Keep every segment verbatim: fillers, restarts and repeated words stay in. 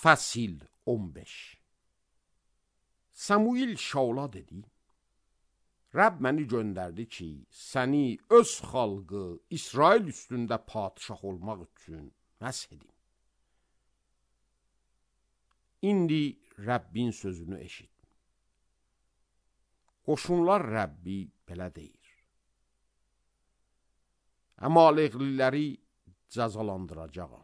Fəsil on beş. Samuil Şaula dedi: Rəbb məni göndərdi ki, səni öz xalqı İsrail üstündə padişah olmaq üçün məsh edim. İndi Rəbbin sözünü eşit. Qoşunlar Rəbbi belə deyir: Əmalekliləri cəzalandıracağam.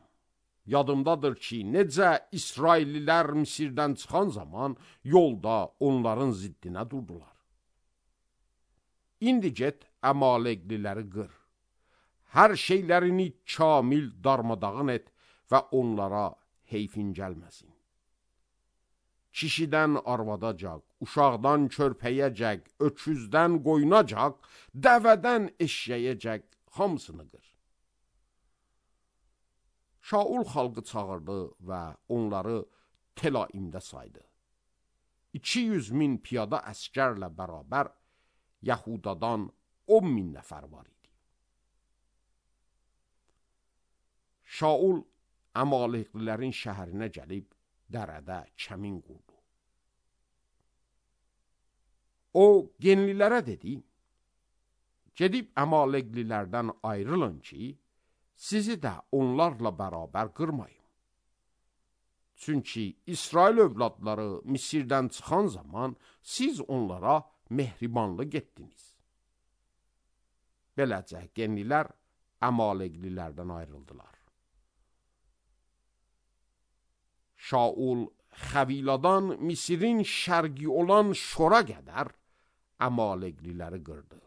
Yadımdadır ki, necə İsraillilər Misirdən çıxan zaman yolda onların ziddinə durdular. İndi get, Əmalekliləri qır. Hər şeylərini kamil darmadağın et və onlara heyfin gəlməsin. Kişidən arvadacaq, uşaqdan körpəyəcək, öküzdən qoyunacaq, dəvədən eşşəyəcək, hamısını qır. Şaul xalqı çağırdı və onları Telaimdə saydı. iki yüz min piyada əskərlə bərabər Yahudadan on min nəfər var idi. Şaul Əmaleklilərin şəhərinə gəlib dərədə kəmin qurdu. O genlilərə dedi: Gedib Əmaleklilərdən ayrılın ki, sizi də onlarla bərabər qırmayın. Çünki İsrail övladları Misirdən çıxan zaman siz onlara mehribanlı getdiniz. Beləcə genlilər Əmaleklilərdən ayrıldılar. Şaul Xəviladan Misirin şərqi olan Şora qədər Əmalekliləri qırdı.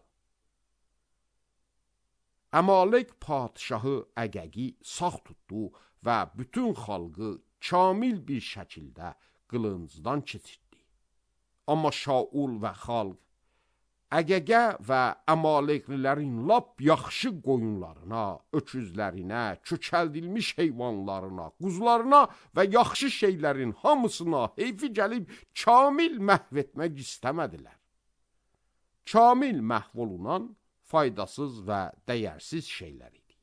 Əmalek padişahı Əgəgi sağ tutdu və bütün xalqı kamil bir şəkildə qılıncdan keçirdi. Amma Şaul və xalq Əgəgə və Əmaleklilərin lap yaxşı qoyunlarına, öküzlərinə, kökəldilmiş heyvanlarına, quzularına və yaxşı şeylərin hamısına heyfi gəlib kamil məhv etmək istəmədilər. Kamil məhv olunan faydasız və dəyərsiz şeylər idi.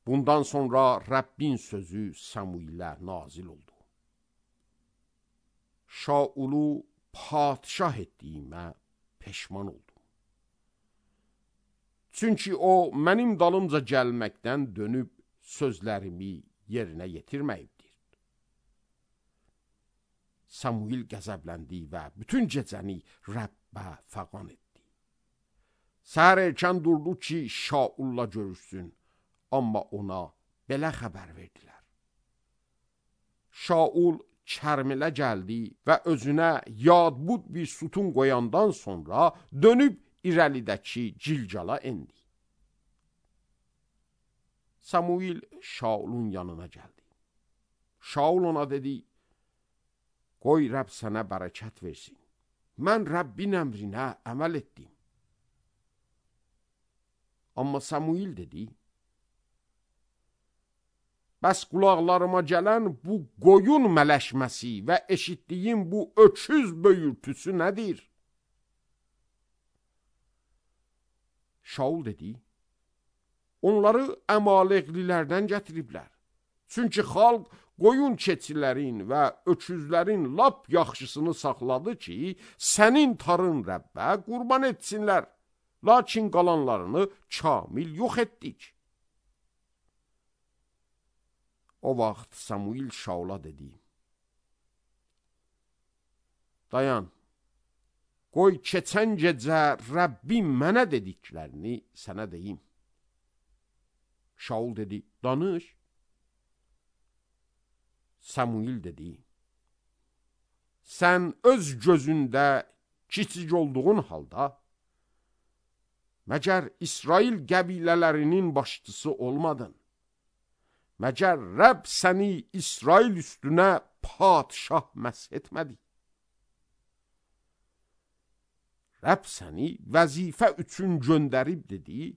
Bundan sonra Rəbbin sözü Samuilə nazil oldu. Şaulu padişah etdiyimə peşman oldum. Çünki o, mənim dalımca gəlməkdən dönüb sözlərimi yerinə yetirməyibdir. Samuil qəzəbləndi və bütün gecəni Rəbbə fəqan etdi. Səhər erkən durdu ki, Şaulla görüşsün, amma ona belə xəbər verdilər. Şaul Kərmilə gəldi və özünə yadbud bir sütun qoyandan sonra dönüb irəlidəki Cilgala endi. Samuil Şaulun yanına gəldi. Şaul ona dedi: Qoy Rəbb sənə bərəkət versin. Mən Rəbbin əmrinə əməl etdim. Amma Samuil dedi: Bəs qulaqlarıma gələn bu qoyun mələşməsi və eşitdiyim bu öküz böyürtüsü nədir? Şaul dedi: Onları Əmaleklilərdən gətiriblər. Çünki xalq qoyun keçilərin və öküzlərin lap yaxşısını saxladı ki, sənin tarın Rəbbə qurban etsinlər. Lakin qalanlarını kamil yox etdik. O vaxt Samuil Şaula dedi: Dayan, qoy keçən gecə Rəbbim mənə dediklərini sənə deyim. Şaul dedi: Danış. Samuil dedi: Sən öz gözündə kiçik olduğun halda, məgər İsrail qəbilələrinin başçısı olmadın? Məgər Rəbb səni İsrail üstünə padişah məsh etmədi? Rəbb səni vəzifə üçün göndərib dedi: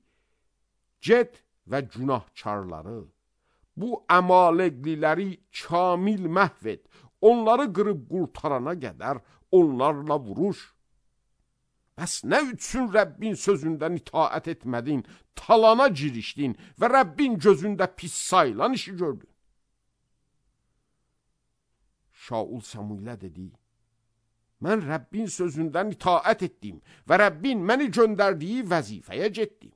Get və günahkarları, bu Əmalekliləri kamil məhv et, onları qırıb qurtarana qədər onlarla vuruş. Bəs nə üçün Rəbbin sözündən itaət etmədin, talana girişdin və Rəbbin gözündə pis sayılan işi gördün? Şaul Samuilə dedi, mən Rəbbin sözündən itaət etdim və Rəbbin məni göndərdiyi vəzifəyə getdim.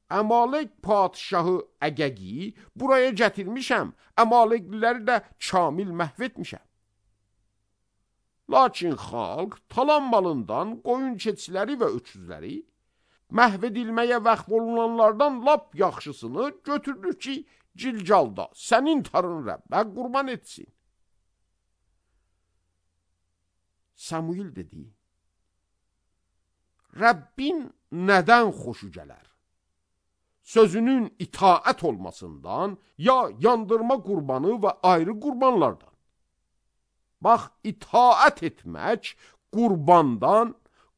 Əmalek padişahı Əgəgi buraya gətirmişəm, Əmalekliləri də kamil məhv etmişəm. Lakin xalq talan malından qoyun keçiləri və öküzləri, məhv edilməyə vəqf olunanlardan lap yaxşısını götürür ki, Cilcalda sənin tarın Rəbbə qurban etsin. Samuil dedi, Rəbbin nədən xoşu gələr? Sözünün itaət olmasından, ya yandırma qurbanı və ayrı qurbanlardan. Bax, itaət etmək qurbandan,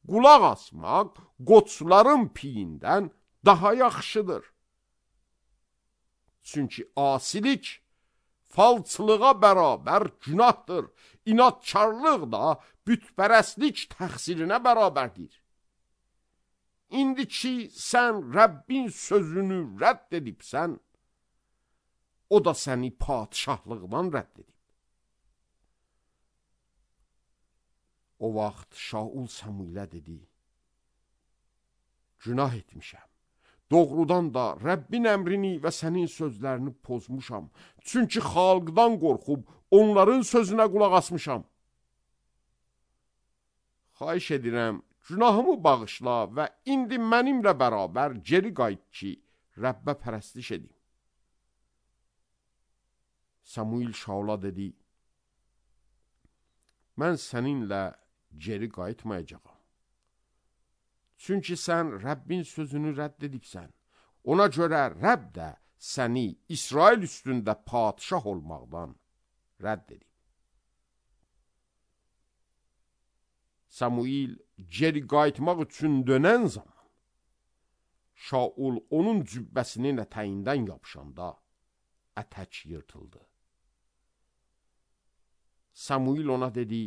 qulaq asmaq qoçların piyindən daha yaxşıdır. Çünki asilik falçılığa bərabər günahdır, inatkarlıq da bütpərəstlik təqsirinə bərabərdir. İndi ki, sən Rəbbin sözünü rədd edibsən, o da səni padişahlıqdan rədd edib. O vaxt Şaul Samuilə dedi, günah etmişəm. Doğrudan da Rəbbin əmrini və sənin sözlərini pozmuşam. Çünki xalqdan qorxub onların sözünə qulaq asmışam. Xahiş edirəm, günahımı bağışla və indi mənimlə bərabər geri qayıt ki, Rəbbə pərəstiş edim. Samuil Şaula dedi, mən səninlə geri qayıtmayacağam. Çünki sən Rəbbin sözünü rədd edibsən. Ona görə Rəbb də səni İsrail üstündə padişah olmaqdan rədd edib. Samuil geri qayıtmaq üçün dönən zaman, Şaul onun cübbəsinin ətəyindən yapışanda ətək yırtıldı. Samuil ona dedi,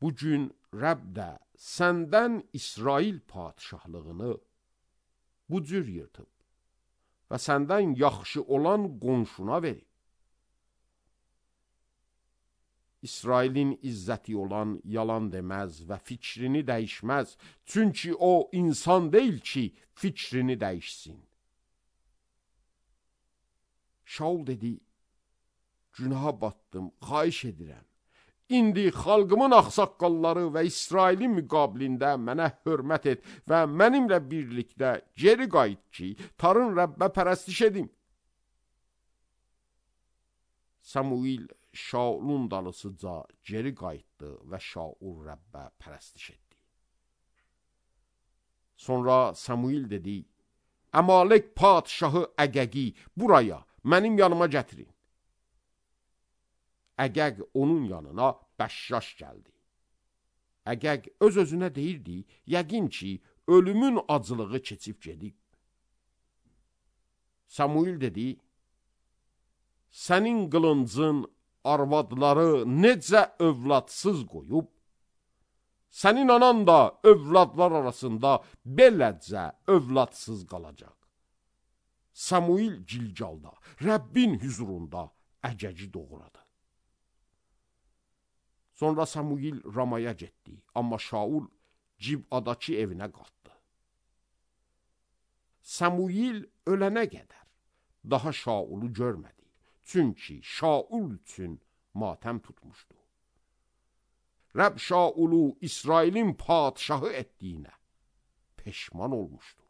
bugün Rəbb də səndən İsrail padişahlığını bu cür yırtıb və səndən yaxşı olan qonşuna verib. İsrailin izzəti olan yalan deməz və fikrini dəyişməz, çünki o insan deyil ki, fikrini dəyişsin. Şaul dedi, günaha batdım, xahiş edirəm. İndi xalqımın axsaqqalları və İsrailin müqabilində mənə hörmət et və mənimlə birlikdə geri qayıt ki, tarın Rəbbə pərəstiş edim. Samuil Şaulun dalısıca geri qayıtdı və Şaul Rəbbə pərəstiş etdi. Sonra Samuil dedi, Əmalek padişahı Əgəgi buraya, mənim yanıma gətirin. Əgəg onun yanına bəşşaş gəldi. Əgəg öz-özünə deyirdi, yəqin ki, ölümün acılığı keçib gedib. Samuil dedi, sənin qılıncın arvadları necə övladsız qoyub, sənin anan da övladlar arasında beləcə övladsız qalacaq. Samuil Cilcalda, Rəbbin hüzurunda Əgəgi doğradı. Sonra Samuil Ramaya getdi, amma Şaul Cibadakı evinə qalxdı. Samuil ölənə qədər daha Şaulu görmədi, çünki Şaul üçün matəm tutmuşdu. Rəbb Şaulu İsrailin padişahı etdiyinə peşman olmuşdu.